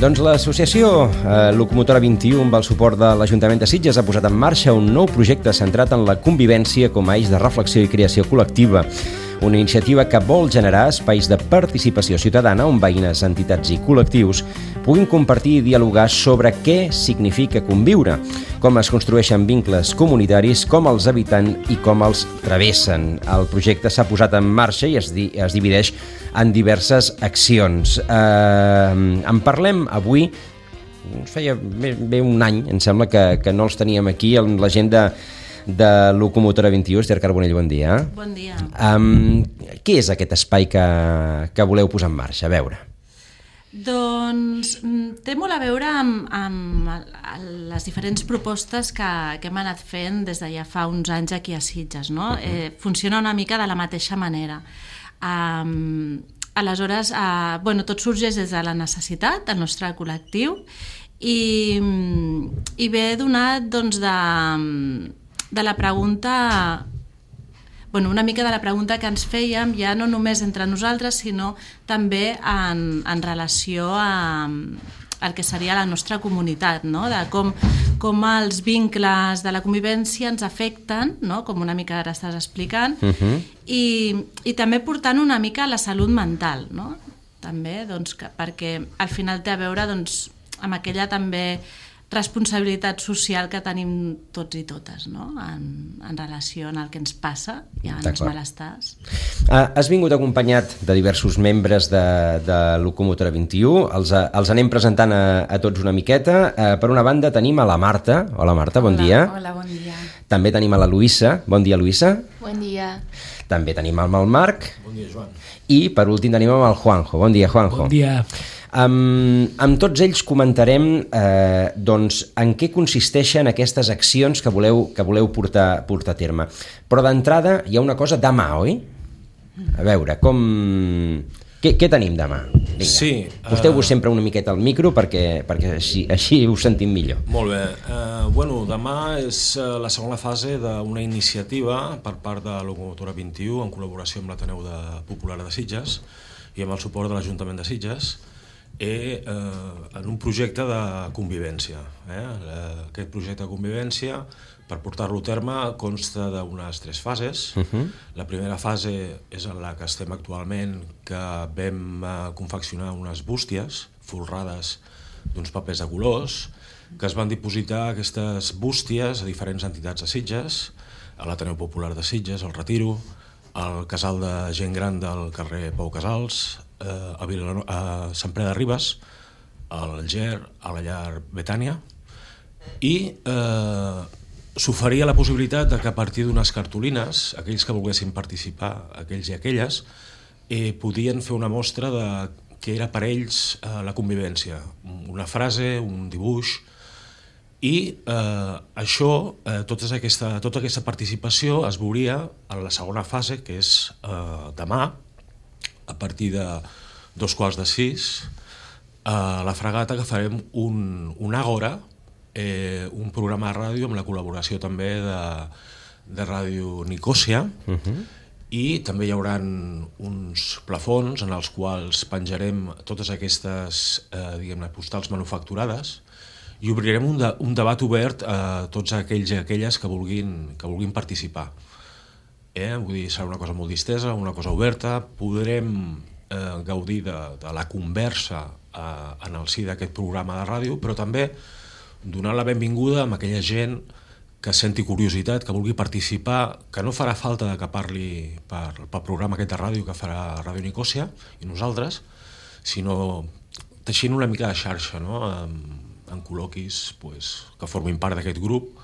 Doncs l'associació Locomotora 21, amb el suport de l'Ajuntament de Sitges, ha posat en marxa un nou projecte centrat en la convivència com a eix de reflexió i creació col·lectiva. Una iniciativa que vol generar espais de participació ciutadana on veïnes, entitats i col·lectius puguin compartir i dialogar sobre què significa conviure, com es construeixen vincles comunitaris, com els habiten i com els travessen. El projecte s'ha posat en marxa i es divideix en diverses accions. En parlem avui. Feia bé un any, em sembla, que no els teníem aquí, la gent de Locomotora 21. Esther Carbonell, bon dia. Bon dia. Què és aquest espai que voleu posar en marxa? A veure. Doncs té molt a veure amb les diferents propostes que hem anat fent des de ja fa uns anys aquí a Sitges, no? Funciona una mica de la mateixa manera. Aleshores, tot sorgeix des de la necessitat del nostre col·lectiu i ve donat doncs, de la pregunta, una mica de la pregunta que ens fèiem ja no només entre nosaltres, sinó també en relació al que seria la nostra comunitat, no? De com els vincles de la convivència ens afecten, no? Com una mica ara estàs explicant, i també portant una mica a la salut mental, no? També, doncs, perquè al final té a veure doncs, amb aquella també responsabilitat social que tenim tots i totes, no? En relació amb el que ens passa i amb els malestars. Has vingut acompanyat de diversos membres de Locomotora 21. Els anem presentant a tots una miqueta. Per una banda tenim a la Marta. Hola Marta, bon dia. Hola, bon dia. També tenim a la Luïssa. Bon dia, Luïssa. Bon dia. També tenim el Marc. Bon dia, Joan. I per últim tenim el Juanjo. Bon dia, Juanjo. Bon dia. Amb tots ells comentarem doncs, en què consisteixen aquestes accions que voleu portar a terme. Però d'entrada hi ha una cosa demà, oi? A veure, què tenim demà? Vinga. Sí. Posteu-vos sempre una miqueta al micro perquè així us sentim millor. Molt bé. Demà és la segona fase d'una iniciativa per part de Locomotora 21 en col·laboració amb l'Ateneu Popular de Sitges i amb el suport de l'Ajuntament de Sitges en un projecte de convivència. Aquest projecte de convivència, per portar-lo a terme, consta d'unes 3 fases. La primera fase és en la que estem actualment, que vam confeccionar unes bústies folrades d'uns papers de colors, que es van dipositar aquestes bústies a diferents entitats de Sitges, a l'Ateneu Popular de Sitges, al Retiro, al casal de gent gran del carrer Pau Casals, a Sant Pere de Ribes, al Ger, a la llar Betània, i s'oferia la possibilitat de que a partir d'unes cartolines, aquells que volguessin participar, aquells i aquelles, podien fer una mostra de què era per ells la convivència, una frase, un dibuix, i tota aquesta participació es veuria en la segona fase, que és demà, a partir de 5:45, a la Fragata, que farem un Àgora, un programa de ràdio amb la col·laboració també de Ràdio Nicòsia, i també hi haurà uns plafons en els quals penjarem totes aquestes postals manufacturades i obrirem un debat obert a tots aquells i aquelles que vulguin participar. Vull dir, serà una cosa molt distesa, una cosa oberta, podrem gaudir de la conversa en el si d'aquest programa de ràdio, però també donar la benvinguda a aquella gent que senti curiositat, que vulgui participar, que no farà falta que parli pel programa aquest de ràdio que farà Ràdio Nicòsia i nosaltres, sinó teixint una mica de xarxa, no? En col·loquis que formin part d'aquest grup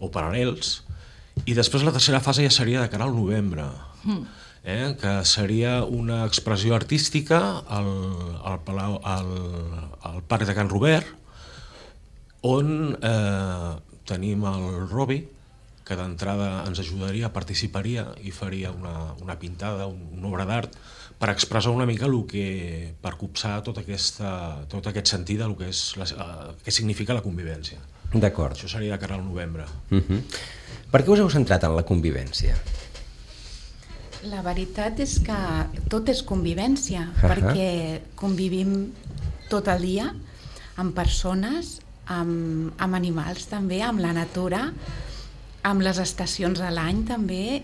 o paral·lels. I després la tercera fase ja seria de cara al novembre, que seria una expressió artística al Parc de Can Robert, on tenim el Robi, que d'entrada ens ajudaria, participaria i faria una pintada, una obra d'art, per expressar una mica per copsar tot aquest sentit del que significa la convivència. D'acord. Això seria de cara al novembre. Per què us heu centrat en la convivència? La veritat és que tot és convivència, perquè convivim tot el dia amb persones, amb animals també, amb la natura, amb les estacions de l'any també,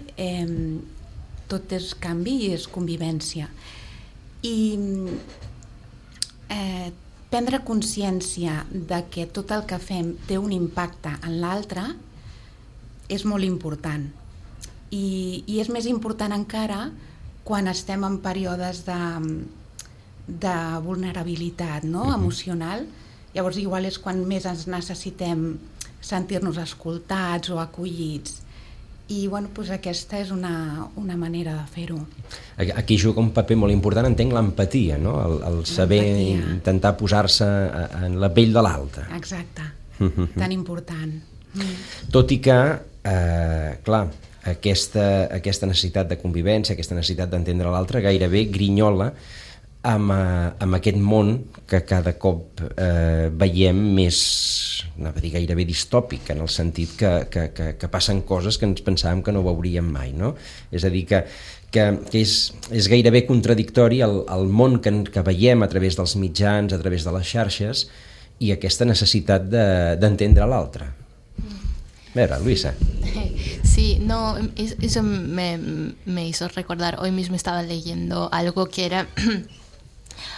tot és canvi i és convivència. I prendre consciència de que tot el que fem té un impacte en l'altre és molt important. I és més important encara quan estem en períodes de vulnerabilitat, no? Emocional. Llavors igual és quan més ens necessitem sentir-nos escoltats o acollits. I bueno, doncs aquesta és una manera de fer-ho. Aquí juga un paper molt important, entenc, l'empatia, no? El saber intentar posar-se en la pell de l'altre. Exacte, tan important. Tot i que, clar, aquesta necessitat de convivència, aquesta necessitat d'entendre l'altre gairebé grinyola amb aquest món que cada cop veiem més, anava a dir, gairebé distòpic, en el sentit que passen coses que ens pensàvem que no veuríem mai, no? És a dir, que és gairebé contradictori el món que veiem a través dels mitjans, a través de les xarxes, i aquesta necessitat d'entendre l'altre. A ver, Luisa. Sí, no, eso me hizo recordar, hoy mismo estaba leyendo algo que era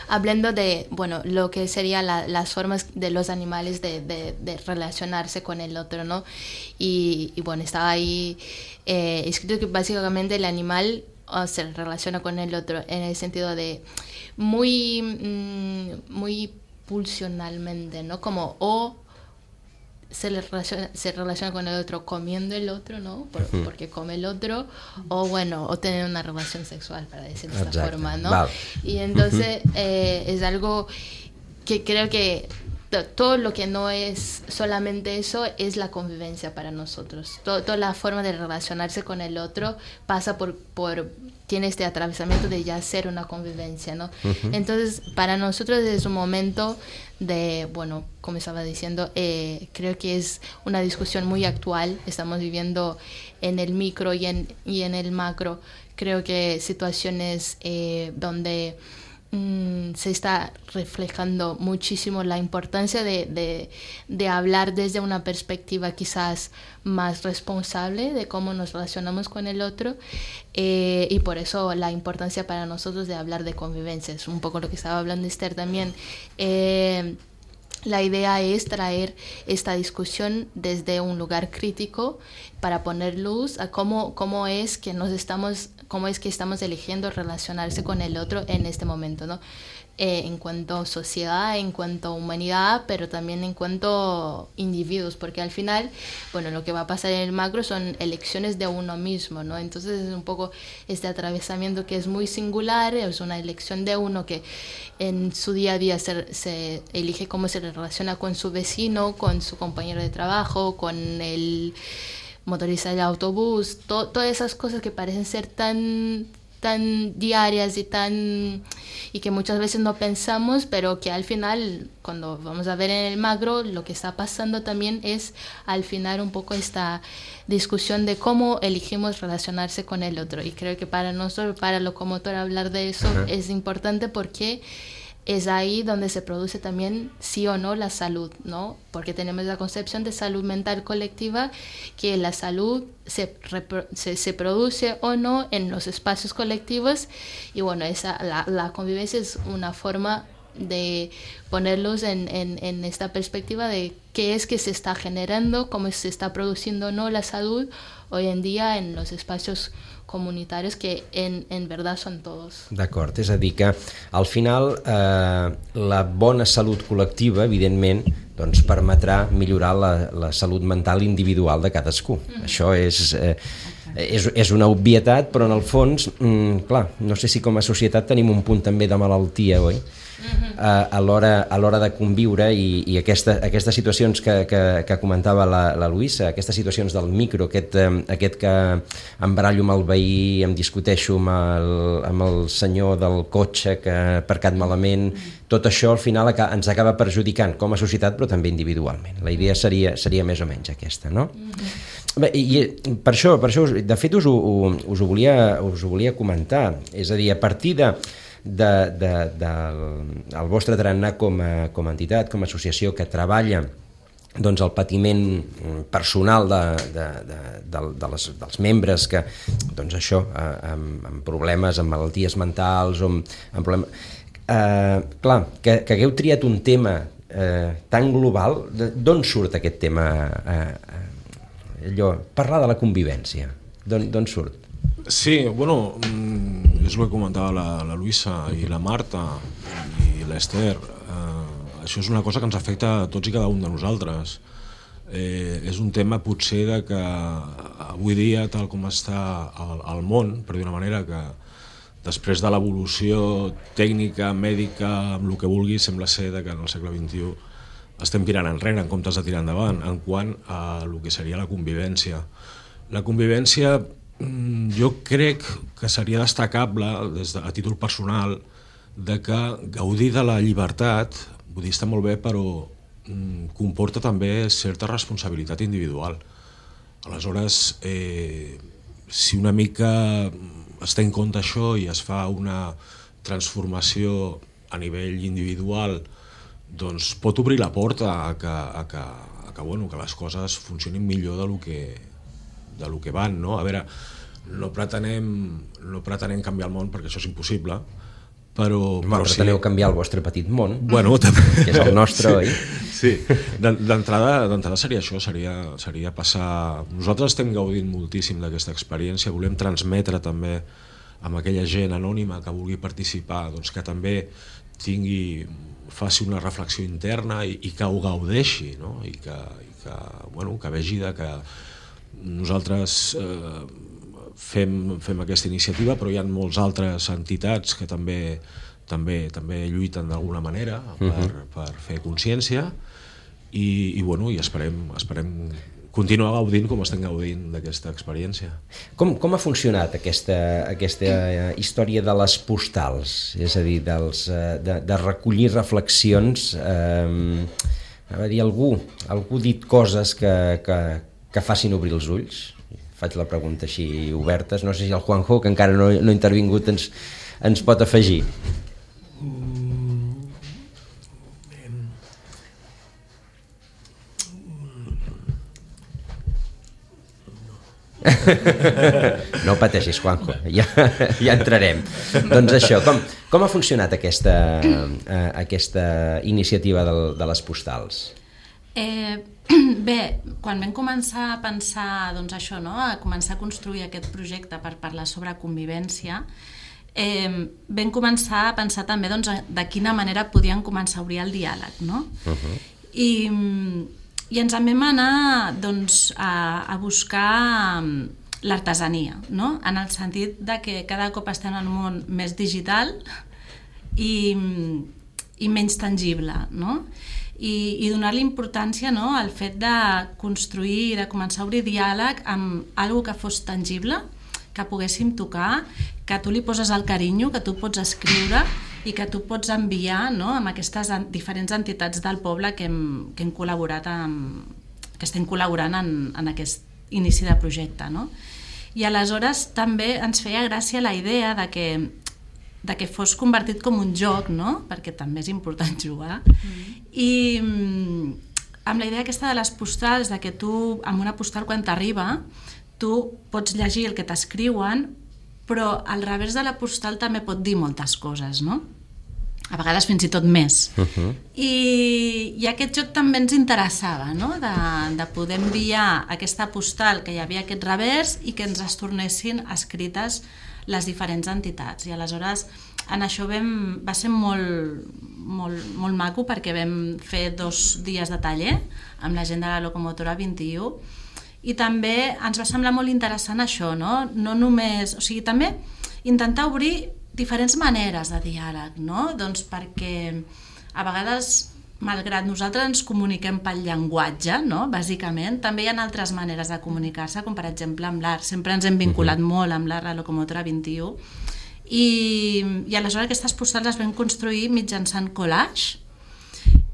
hablando de, bueno, lo que serían las formas de los animales de relacionarse con el otro, ¿no? Y bueno, estaba ahí escrito que básicamente el animal se relaciona con el otro en el sentido de muy pulsionalmente, ¿no? Como se relaciona con el otro comiendo el otro, ¿no? Porque come el otro, o bueno, o tener una relación sexual, para decir de esta forma, ¿no? Vale. Y entonces es algo que creo que todo lo que no es solamente eso es la convivencia para nosotros. Toda la forma de relacionarse con el otro pasa tiene este atravesamiento de ya ser una convivencia, ¿no? Entonces, para nosotros es un momento de, bueno, como estaba diciendo, creo que es una discusión muy actual. Estamos viviendo en el micro y en el macro. Creo que situaciones donde se está reflejando muchísimo la importancia de hablar desde una perspectiva quizás más responsable de cómo nos relacionamos con el otro, y por eso la importancia para nosotros de hablar de convivencia. Es un poco lo que estaba hablando Esther también. La idea es traer esta discusión desde un lugar crítico para poner luz a cómo es que estamos eligiendo relacionarse con el otro en este momento, ¿no? En cuanto a sociedad, en cuanto a humanidad, pero también en cuanto a individuos, porque al final, bueno, lo que va a pasar en el macro son elecciones de uno mismo, ¿no? Entonces es un poco este atravesamiento que es muy singular, es una elección de uno que en su día a día se elige cómo se relaciona con su vecino, con su compañero de trabajo, con el motorista del autobús, todas esas cosas que parecen ser tan diarias y que muchas veces no pensamos, pero que al final, cuando vamos a ver en el macro, lo que está pasando también es al final un poco esta discusión de cómo elegimos relacionarse con el otro. Y creo que para nosotros, para Locomotora, hablar de eso es importante porque es ahí donde se produce también sí o no la salud, ¿no? Porque tenemos la concepción de salud mental colectiva, que la salud se produce o no en los espacios colectivos, y bueno, la convivencia es una forma de ponerlos en esta perspectiva de qué es que se está generando, cómo se está produciendo o no la salud hoy en día en los espacios comunitaris que en verdad són tots. D'acord, és a dir que al final la bona salut col·lectiva, evidentment, doncs permetrà millorar la salut mental individual de cadascú. Això és una obvietat, però en el fons, clar, no sé si com a societat tenim un punt també de malaltia, oi? A l'hora de conviure, i aquestes situacions que comentava la Luisa, aquestes situacions del micro, aquest que em barallo amb el veí, em discuteixo amb el senyor del cotxe que ha aparcat malament, tot això al final ens acaba perjudicant com a societat, però també individualment. La idea seria més o menys aquesta, no? Bé, i per això de fet us ho volia comentar, és a dir, a partir del vostre tarannà com a entitat, com a associació que treballa doncs el patiment personal dels membres que, doncs això, amb problemes, amb malalties mentals, amb problemes... Clar, que hagueu triat un tema tan global, d'on surt aquest tema? Parlar de la convivència, d'on surt? Sí, bueno, és el que comentava la Luisa i la Marta i l'Ester. Això és una cosa que ens afecta a tots i cada un de nosaltres. És un tema potser de que avui dia, tal com està el món, per dir una manera, que després de l'evolució tècnica, mèdica, amb el que vulgui, sembla ser que en el segle XXI estem tirant enrere en comptes de tirar endavant en quant a el que seria la convivència. La convivència jo crec que seria destacable a títol personal de que gaudir de la llibertat, vull dir, està molt bé, però comporta també certa responsabilitat individual. Aleshores, si una mica es té en compte això i es fa una transformació a nivell individual, doncs pot obrir la porta a que les coses funcionin millor del que van, no? A veure, no pretenem canviar el món perquè això és impossible, però preteneu canviar el vostre petit món, que és el nostre, oi? Sí, d'entrada seria això, seria passar... Nosaltres estem gaudint moltíssim d'aquesta experiència, volem transmetre també amb aquella gent anònima que vulgui participar, doncs que també faci una reflexió interna i que ho gaudeixi, no? I que vegi que nosaltres fem aquesta iniciativa, però hi ha moltes altres entitats que també lluiten d'alguna manera per fer consciència i esperem continuar gaudint com estem gaudint d'aquesta experiència. Com ha funcionat aquesta història de les postals? És a dir, de recollir reflexions. Algú ha dit coses que facin obrir els ulls? Faig la pregunta així obertes. No sé si el Juanjo, que encara no ha intervingut, ens pot afegir. No pateixis, Juanjo, ja entrarem. Doncs això, com ha funcionat aquesta iniciativa de les postals? Bé, quan vam començar a pensar a començar a construir aquest projecte per parlar sobre convivència, vam començar a pensar també de quina manera podíem començar a obrir el diàleg, no? I ens en vam anar a buscar l'artesania, no? En el sentit de que cada cop estem en un món més digital i menys tangible, no? I donar-li importància al fet de construir, de començar a obrir diàleg amb alguna que fos tangible, que poguéssim tocar, que tu li poses el carinyo, que tu pots escriure i que tu pots enviar amb aquestes diferents entitats del poble que hem col·laborat que estem col·laborant en aquest inici de projecte, no? I aleshores també ens feia gràcia la idea de que fos convertit com un joc, no? Perquè també és important jugar. I amb la idea aquesta de les postals, de que tu, amb una postal quan t'arriba, tu pots llegir el que t'escriuen, però al revés de la postal també pot dir moltes coses, no? A vegades fins i tot més. I aquest joc també ens interessava, no? De poder enviar aquesta postal que hi havia aquest revers i que ens es tornessin escrites les diferents entitats. I aleshores en això va ser molt maco perquè vam fer 2 dies de taller amb la gent de la Locomotora 21 i també ens va semblar molt interessant això, no? No només, o sigui, també intentar obrir diferents maneres de diàleg, no? Doncs perquè a vegades, malgrat nosaltres ens comuniquem pel llenguatge, no? Bàsicament, també hi ha altres maneres de comunicar-se, com per exemple amb l'art. Sempre ens hem vinculat molt amb l'art, la Locomotora 21, i aleshores aquestes postals les vam construir mitjançant collage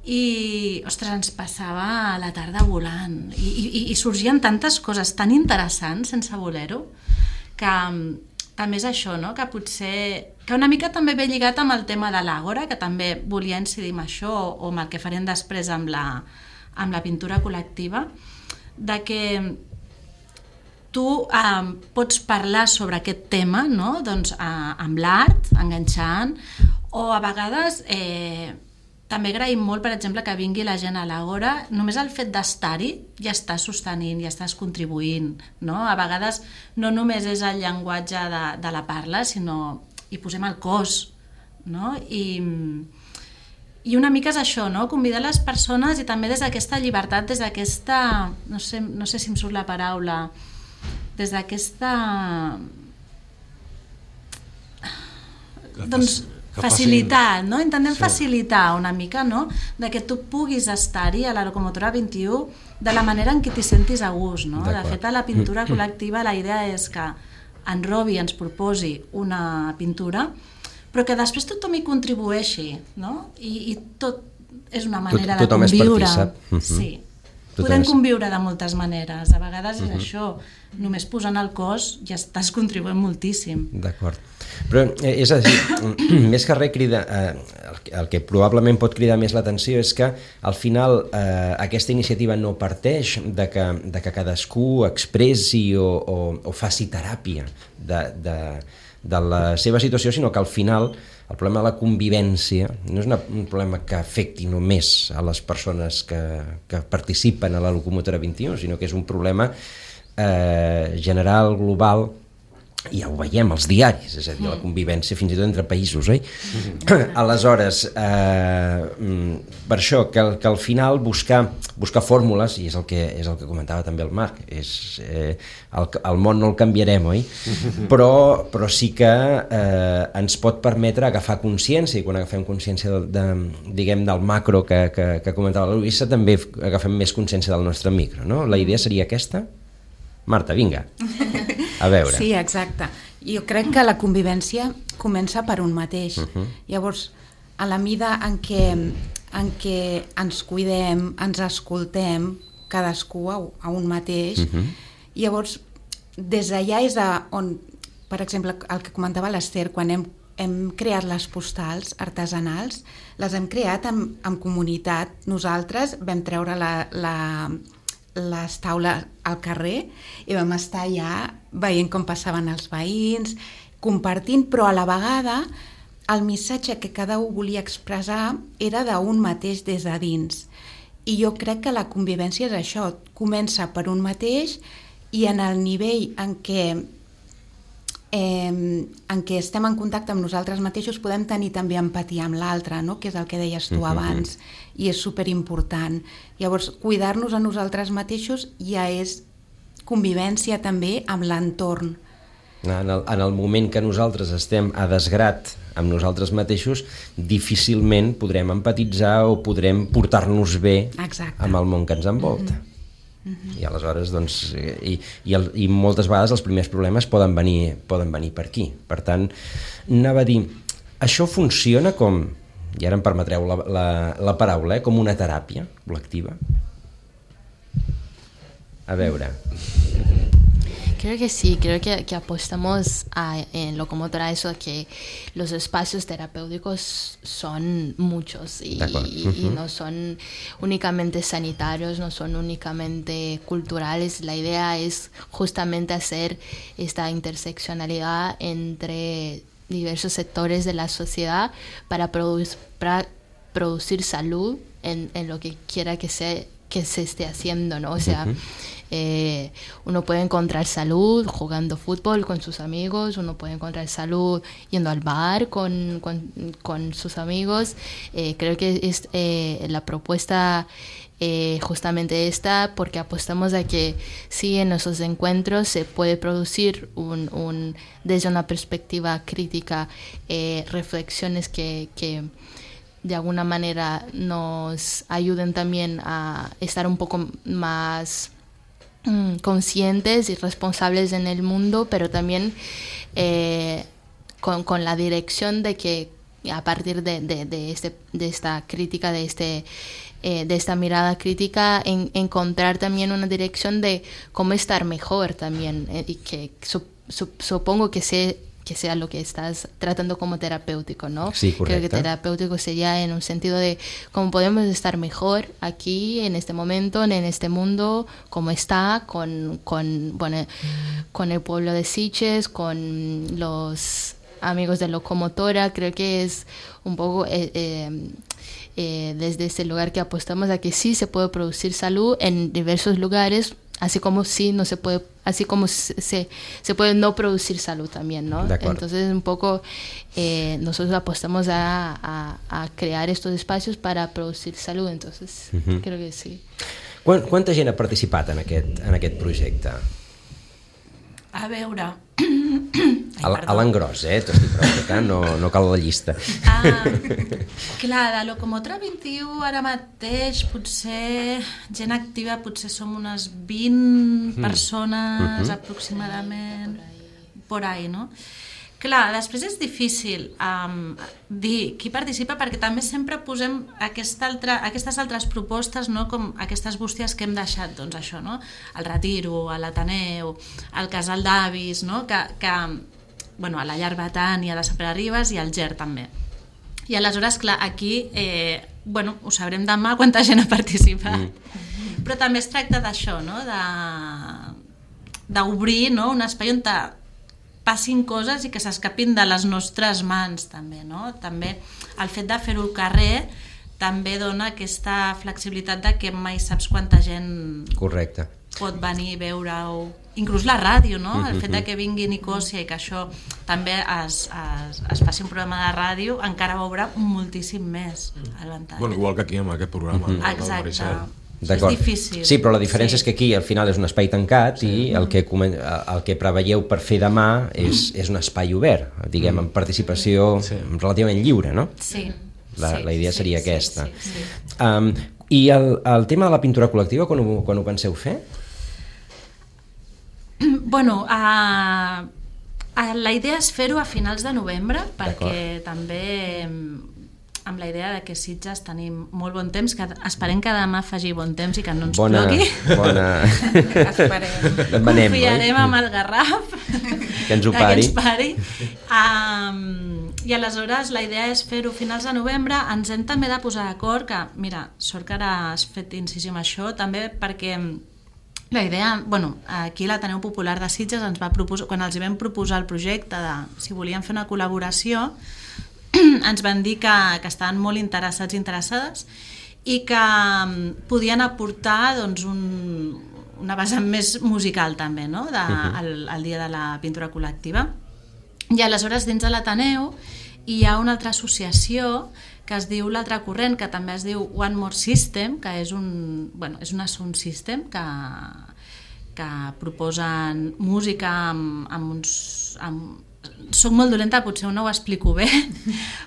i, ostres, ens passava la tarda volant i sorgien tantes coses tan interessants sense voler-ho que també és això, no? Que potser... Que una mica també ve lligat amb el tema de l'àgora, que també volia incidir en això, o amb el que farem després amb la pintura col·lectiva, de que tu pots parlar sobre aquest tema, no? Doncs, amb l'art, enganxant, o a vegades també agraïm molt, per exemple, que vingui la gent a l'Àgora, només el fet d'estar-hi ja estàs sostenint, ja estàs contribuint, no? A vegades no només és el llenguatge de la parla, sinó hi posem el cos, no? I una mica és això, no? Convidar les persones i també des d'aquesta llibertat, des d'aquesta... No sé si em surt la paraula... Des d'aquesta... Doncs... facilitat, no? Intentem facilitar una mica, no? De que tu puguis estar-hi a la locomotora 21 de la manera en què t'hi sentis a gust, no? De fet, a la pintura col·lectiva la idea és que en Robi ens proposi una pintura, però que després tothom hi contribueixi, no? I tot és una manera de conviure. Sí. Podem conviure de moltes maneres. A vegades és això, només posant el cos ja estàs contribuint moltíssim. D'acord. Però és a dir, més que res crida, el que probablement pot cridar més l'atenció és que al final aquesta iniciativa no parteix de que cadascú expressi o faci teràpia de la seva situació, sinó que al final el problema de la convivència no és un problema que afecti només a les persones que participen a la locomotora 21, sinó que és un problema general, global, i ja ho veiem als diaris, és a dir, la convivència fins i tot entre països, oi? Aleshores, per això, que al final buscar fórmules, i és el que comentava també el Marc, el món no el canviarem, oi? Però sí que ens pot permetre agafar consciència, i quan agafem consciència del macro que comentava la Luisa, també agafem més consciència del nostre micro, no? La idea seria aquesta? Marta, vinga. A veure. Sí, exacte. Jo crec que la convivència comença per un mateix. Llavors, a la mida en què ens cuidem, ens escoltem, cadascú a un mateix, llavors, des d'allà és on, per exemple, el que comentava l'Ester, quan hem creat les postals artesanals, les hem creat en comunitat. Nosaltres vam treure les taules al carrer i vam estar allà veient com passaven els veïns, compartint, però a la vegada el missatge que cada un volia expressar era d'un mateix des de dins. I jo crec que la convivència és això, comença per un mateix i en el nivell en què estem en contacte amb nosaltres mateixos podem tenir també empatia amb l'altre, no? Que és el que deies tu abans, i és superimportant. Llavors, cuidar-nos a nosaltres mateixos ja és convivència també amb l'entorn. En el moment que nosaltres estem a desgrat amb nosaltres mateixos, difícilment podrem empatitzar o podrem portar-nos bé amb el món que ens envolta. I aleshores, doncs, i moltes vegades els primers problemes poden venir per aquí. Per tant, anava a dir, això funciona com, i ara em permetreu la paraula, com una teràpia col·lectiva? A veure... Creo que sí, creo que apostamos en Locomotora a eso, que los espacios terapéuticos son muchos y no son únicamente sanitarios, no son únicamente culturales. La idea es justamente hacer esta interseccionalidad entre diversos sectores de la sociedad para producir salud en lo que quiera que se esté haciendo, ¿no? O sea... uno puede encontrar salud jugando fútbol con sus amigos, uno puede encontrar salud yendo al bar con sus amigos. Creo que es la propuesta justamente esta, porque apostamos a que sí, en esos encuentros se puede producir desde una perspectiva crítica reflexiones que de alguna manera nos ayuden también a estar un poco más conscientes y responsables en el mundo, pero también con la dirección de que a partir de esta crítica, de esta mirada crítica, encontrar también una dirección de cómo estar mejor también, y que supongo que que sea lo que estás tratando como terapéutico, ¿no? Sí, correcto. Creo que terapéutico sería en un sentido de cómo podemos estar mejor aquí, en este momento, en este mundo, como está, con el pueblo de Sitges, con los amigos de Locomotora. Creo que es un poco desde ese lugar que apostamos a que sí se puede producir salud en diversos lugares, así como sí no se puede, así como se puede no producir salud también, ¿no? Entonces un poco nosotros apostamos a crear estos espacios para producir salud, entonces creo que sí. Quanta gent ha participat en aquest projecte? A veure... A l'engròs, t'estic preguntant, no cal la llista. Clar, de Locomotora 21 ara mateix potser gent activa, potser som unes 20 persones aproximadament, por ahí, no? Clar, després és difícil dir qui participa perquè també sempre posem aquestes altres propostes, no? Com aquestes bústies que hem deixat, doncs això, no? El Retiro, l'Ateneu, el Casal d'Avis, no? Bueno, a la Llar Betània, a la Sant Pere Ribes i al GER també. I aleshores, clar, aquí bueno, ho sabrem demà quanta gent ha participat, però també es tracta d'això, no? D'obrir, no? Un espai on passin coses i que s'escapin de les nostres mans també, no? També el fet de fer-ho al carrer també dona aquesta flexibilitat de que mai saps quanta gent pot venir a veure-ho, inclús la ràdio, no? El fet de que vingui Nicòsia i que això també es faci un programa de ràdio encara obre moltíssim més el ventall. Bueno, igual que aquí amb aquest programa. Exacte. És difícil. Sí, però la diferència és que aquí al final és un espai tancat i el que preveieu per fer demà és un espai obert, diguem, amb participació relativament lliure, no? Sí. La idea seria aquesta. I el tema de la pintura col·lectiva, quan ho penseu fer? Bueno, la idea és fer-ho a finals de novembre, perquè també amb la idea de que Sitges tenim molt bon temps, que esperem que demà faci bon temps i que no ens plogui. Confiarem amb el Garraf que ens ho pari. I aleshores la idea és fer-ho a finals de novembre. Ens hem també de posar d'acord, que mira, sort que ara has fet incisió en això, també perquè la idea, bueno, aquí l'Ateneu Popular de Sitges ens va proposar, quan els vam proposar el projecte de si volien fer una col·laboració, ens van dir que estaven molt interessades i que podien aportar doncs, una vessant més musical també, no? El dia de la pintura col·lectiva. I aleshores dins de l'Ateneu hi ha una altra associació que es diu L'Altre Corrent, que també es diu One More System, que és una sound system que proposen música amb uns... Soc molt dolenta, potser no ho explico bé,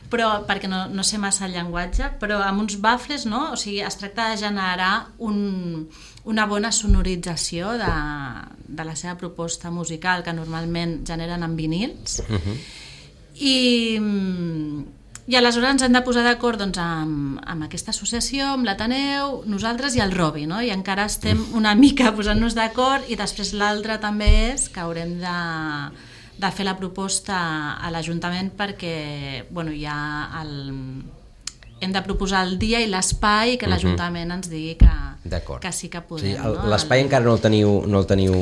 però perquè no sé massa el llenguatge, però amb uns baffles, no? O sigui, es tracta de generar una bona sonorització de la seva proposta musical, que normalment generen en vinils. I aleshores ens hem de posar d'acord doncs, amb aquesta associació, amb l'Ateneu, nosaltres i el Robi, no? I encara estem una mica posant-nos d'acord, i després l'altre també és que haurem de fer la proposta a l'Ajuntament perquè hem de proposar el dia i l'espai que l'Ajuntament ens digui que sí que podem. Sí, l'espai encara no el teniu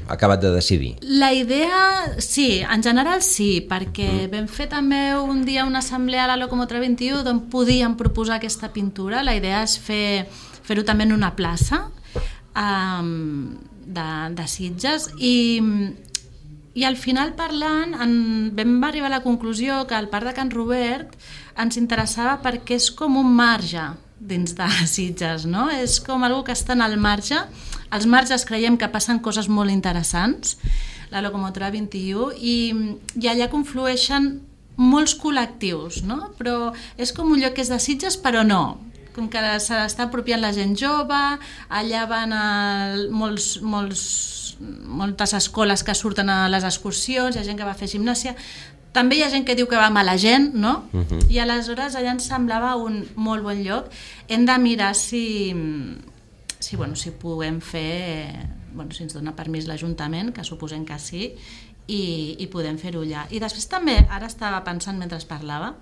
acabat de decidir. La idea, sí, en general sí, perquè vam fer també un dia una assemblea a la Locomotora 21 d'on podíem proposar aquesta pintura. La idea és fer-ho també en una plaça de Sitges i al final parlant vam arribar a la conclusió que el Parc de Can Robert ens interessava perquè és com un marge dins de Sitges, no? És com algo que està al marge. Als marges creiem que passen coses molt interessants, la Locomotora 21, i allà conflueixen molts col·lectius, no? Però és com un lloc que és de Sitges però no, com que se l'està apropiant la gent jove, allà van moltes escoles que surten a les excursions, hi ha gent que va fer gimnàsia, també hi ha gent que diu que va mala gent, no? I aleshores allà ens semblava un molt bon lloc. Hem de mirar si podem fer, si ens dona permís l'Ajuntament, que suposem que sí, i podem fer-ho allà. I després també, ara estava pensant mentre parlava,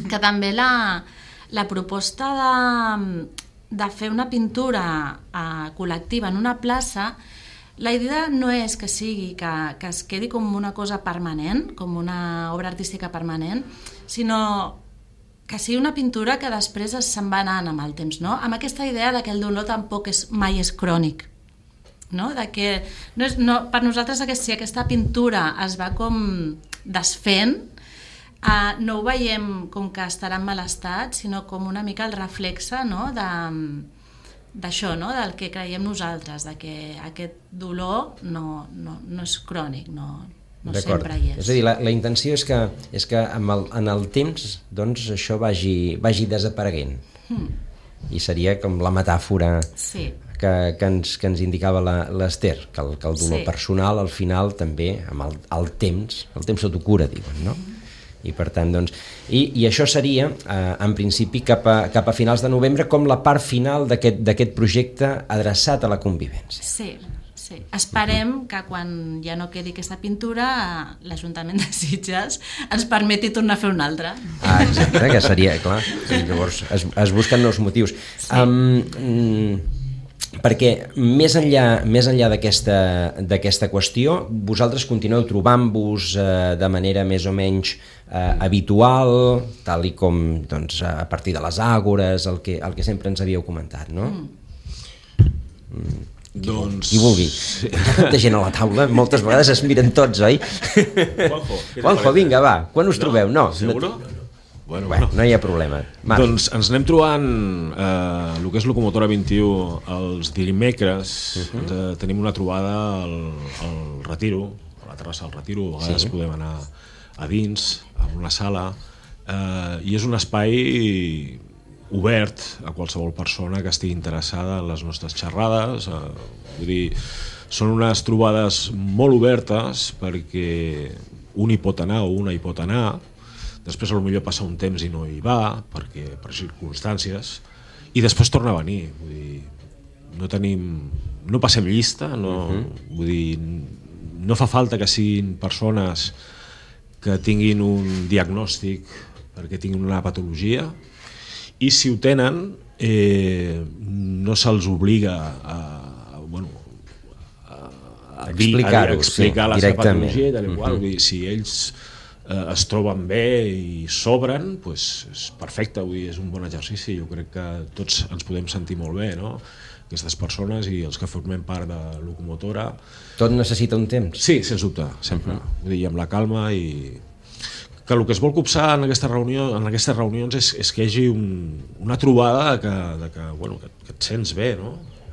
que també la proposta de fer una pintura col·lectiva en una plaça, la idea no és que sigui que es quedi com una cosa permanent, com una obra artística permanent, sinó que sigui una pintura que després se'n va anant amb el temps, no? Amb aquesta idea de que el dolor tampoc mai és crònic, no? De que per nosaltres si aquesta pintura es va com desfent, no ho veiem com que estarà en mal estat, sinó com una mica el reflexe, no? D'això, no? Del que creiem nosaltres, de que aquest dolor no és crònic, no sempre hi és. És a dir, la intenció és que en el temps doncs, això vagi desapareguent. I seria com la metàfora que ens indicava l'Ester, que el dolor personal al final també, amb el temps sota cura, diuen, no? I per tant, doncs, i això seria, en principi, cap a finals de novembre, com la part final d'aquest projecte adreçat a la convivència. Sí. Esperem que quan ja no quedi aquesta pintura, l'Ajuntament de Sitges ens permeti tornar a fer una altra. Exacte, que seria, clar. Llavors es busquen nous motius. Perquè més enllà d'aquesta qüestió, vosaltres continueu trobant-vos de manera més o menys habitual, tal i com doncs, a partir de les àgores, el que sempre ens havíeu comentat, no? Qui vulgui. Sí. Tanta gent a la taula, moltes vegades es miren tots, oi? Juanjo, vinga, va, quan us trobeu? No, seguro? Bueno, no hi ha problema. Doncs ens anem trobant el que és Locomotora 21 els dimecres. Tenim una trobada al Retiro, a la terrassa del Retiro, a vegades podem anar a dins, a una sala, i és un espai obert a qualsevol persona que estigui interessada en les nostres xerrades. Vull dir, són unes trobades molt obertes perquè un hi pot anar o una hi pot anar, després potser passa un temps i no hi va per circumstàncies, i després torna a venir. Vull dir, no passem llista, vull dir, no fa falta que siguin persones que tinguin un diagnòstic perquè tinguin una patologia, i si ho tenen no se'ls obliga a explicar la seva patologia, tal i qual. Si ells es troben bé i s'obren, és perfecte, és un bon exercici. Jo crec que tots ens podem sentir molt bé, no? Aquestes persones i els que formem part de Locomotora. Tot necessita un temps? Sí, sens dubte, sempre. Vull dir, amb la calma, i que el que es vol copsar en aquestes reunions és que hi hagi una trobada que et sents bé, no?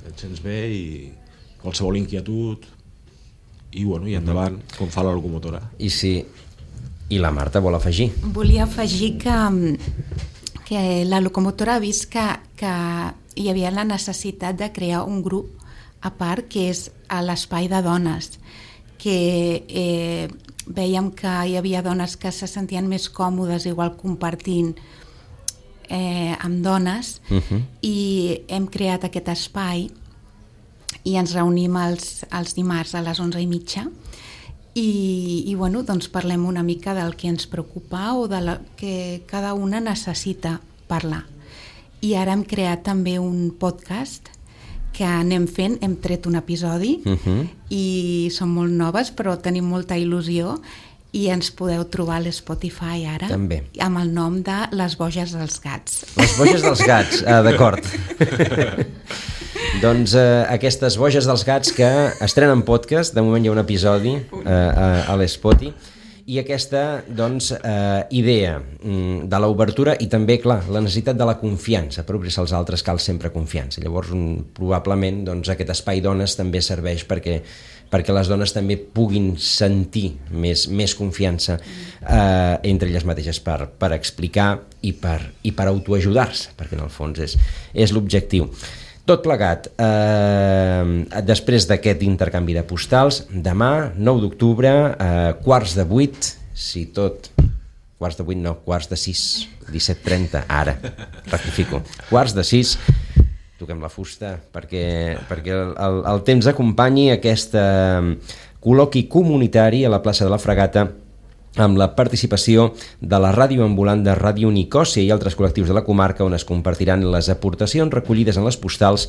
Et sents bé, i qualsevol inquietud i endavant, com fa la Locomotora. I la Marta vol afegir? Volia afegir que la Locomotora ha vist que hi havia la necessitat de crear un grup a part, que és a l'Espai de Dones, que veiem que hi havia dones que se sentien més còmodes igual compartint amb dones, i hem creat aquest espai i ens reunim els dimarts a les 11:30 i doncs parlem una mica del que ens preocupa o del que cada una necessita parlar. I ara hem creat també un podcast que anem fent, hem tret un episodi i són molt noves, però tenim molta il·lusió, i ens podeu trobar a l'Spotify ara, també, amb el nom de Les Boges dels Gats. Les Boges dels Gats, d'acord. Doncs aquestes Boges dels Gats que estrenen podcast, de moment hi ha un episodi a l'Spotify, i aquesta idea de l'obertura i també, clar, la necessitat de la confiança. Per obrir-se als altres cal sempre confiança. Llavors, probablement, aquest espai dones també serveix perquè les dones també puguin sentir més confiança entre elles mateixes per explicar i per autoajudar-se, perquè en el fons és l'objectiu. Tot plegat, després d'aquest intercanvi de postals, demà, 9 d'octubre, 7:45, si tot... 7:45 no, 5:45, 17:30, ara, rectifico. 5:45, toquem la fusta perquè el temps acompanyi aquest col·loqui comunitari a la plaça de la Fragata amb la participació de la ràdio ambulant de Ràdio Nicòsia i altres col·lectius de la comarca, on es compartiran les aportacions recollides en les postals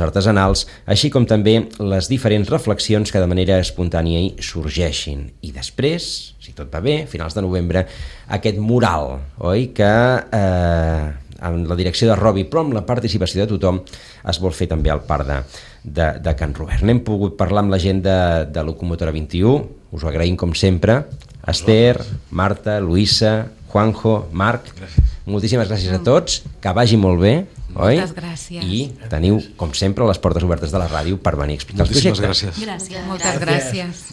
artesanals, així com també les diferents reflexions que de manera espontània hi sorgeixin. I després, si tot va bé, a finals de novembre, aquest mural, oi?, que amb la direcció de Robi, però amb la participació de tothom, es vol fer també al Parc de Can Robert. N'hem pogut parlar amb la gent de Locomotora 21, us ho agraïm com sempre, Esther, Marta, Luisa, Juanjo, Marc, moltíssimes gràcies a tots, que vagi molt bé, oi? Moltes gràcies. I teniu, com sempre, les portes obertes de la ràdio per venir a explicar els projectes. Moltíssimes gràcies. Moltes gràcies.